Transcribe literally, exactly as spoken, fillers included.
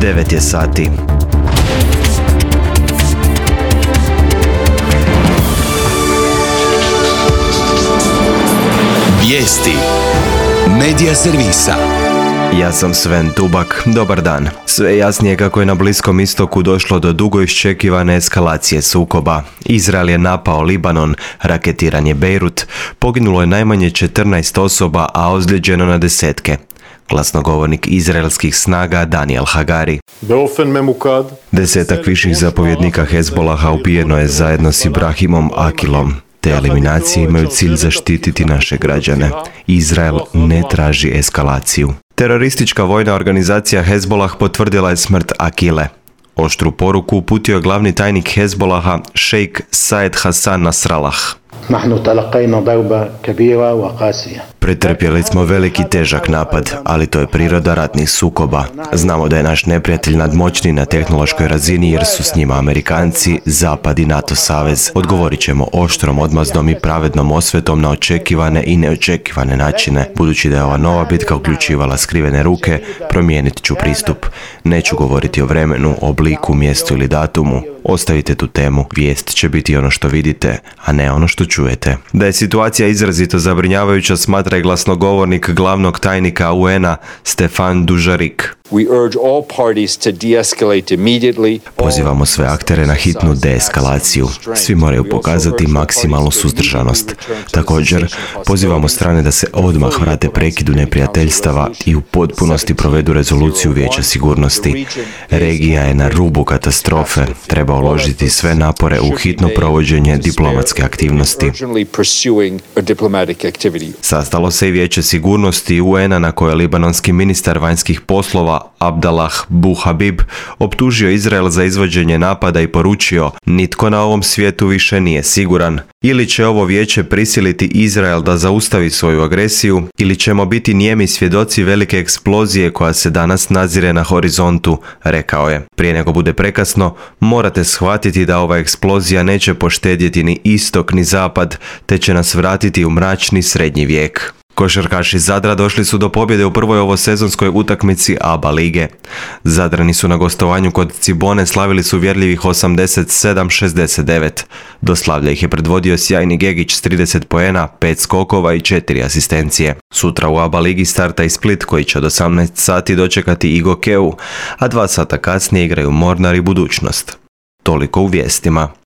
devet je sati. Vijesti Medija servisa. Ja sam Sven Tubak, dobar dan. Sve jasnije kako je na Bliskom istoku došlo do dugo iščekivane eskalacije sukoba. Izrael je napao Libanon, raketiran je Bejrut, poginulo je najmanje četrnaest osoba, a ozlijeđeno na desetke. Glasnogovornik izraelskih snaga Daniel Hagari. Desetak viših zapovjednika Hezbolaha ubijeno je zajedno s Ibrahimom Akilom. Te eliminacije imaju cilj zaštititi naše građane. Izrael ne traži eskalaciju. Teroristička vojna organizacija Hezbolah potvrdila je smrt Akile. Oštru poruku uputio je glavni tajnik Hezbolaha šejk Saed Hasan Nasrallah. Pretrpjeli smo veliki težak napad, ali to je priroda ratnih sukoba. Znamo da je naš neprijatelj nadmoćniji na tehnološkoj razini jer su s njima Amerikanci, Zapad i NATO savez. Odgovorit ćemo oštrom, odmazdom i pravednom osvetom na očekivane i neočekivane načine. Budući da je ova nova bitka uključivala skrivene ruke, promijenit ću pristup. Neću govoriti o vremenu, obliku, mjestu ili datumu. Ostavite tu temu. Vijest će biti ono što vidite, a ne ono što čujete. Da je situacija izrazito zabrinjavajuća smatra i glasnogovornik glavnog tajnika U N-a Stefan Dujarric. Pozivamo sve aktere na hitnu deeskalaciju. Svi moraju pokazati maksimalnu suzdržanost. Također, pozivamo strane da se odmah vrate prekidu neprijateljstava i u potpunosti provedu rezoluciju Vijeća sigurnosti. Regija je na rubu katastrofe. Treba uložiti sve napore u hitno provođenje diplomatske aktivnosti. Sastalo se i Vijeće sigurnosti U N-a na koje libanonski ministar vanjskih poslova Abdallah Buhabib optužio Izrael za izvođenje napada i poručio: nitko na ovom svijetu više nije siguran. Ili će ovo vijeće prisiliti Izrael da zaustavi svoju agresiju, ili ćemo biti nijemi svjedoci velike eksplozije koja se danas nazire na horizontu, rekao je. Prije nego bude prekasno, morate shvatiti da ova eksplozija neće poštedjeti ni istok ni zapad, te će nas vratiti u mračni srednji vijek. Košarkaši Zadra došli su do pobjede u prvoj ovosezonskoj utakmici A B A lige. Zadrani su na gostovanju kod Cibone slavili su uvjerljivih osamdeset sedam šezdeset devet. Do slavlja ih je predvodio sjajni Gegić s trideset poena, pet skokova i četiri asistencije. Sutra u A B A ligi starta i Split koji će od osamnaest sati dočekati i Gokeu, a dva sata kasnije igraju Mornar i Budućnost. Toliko u vijestima.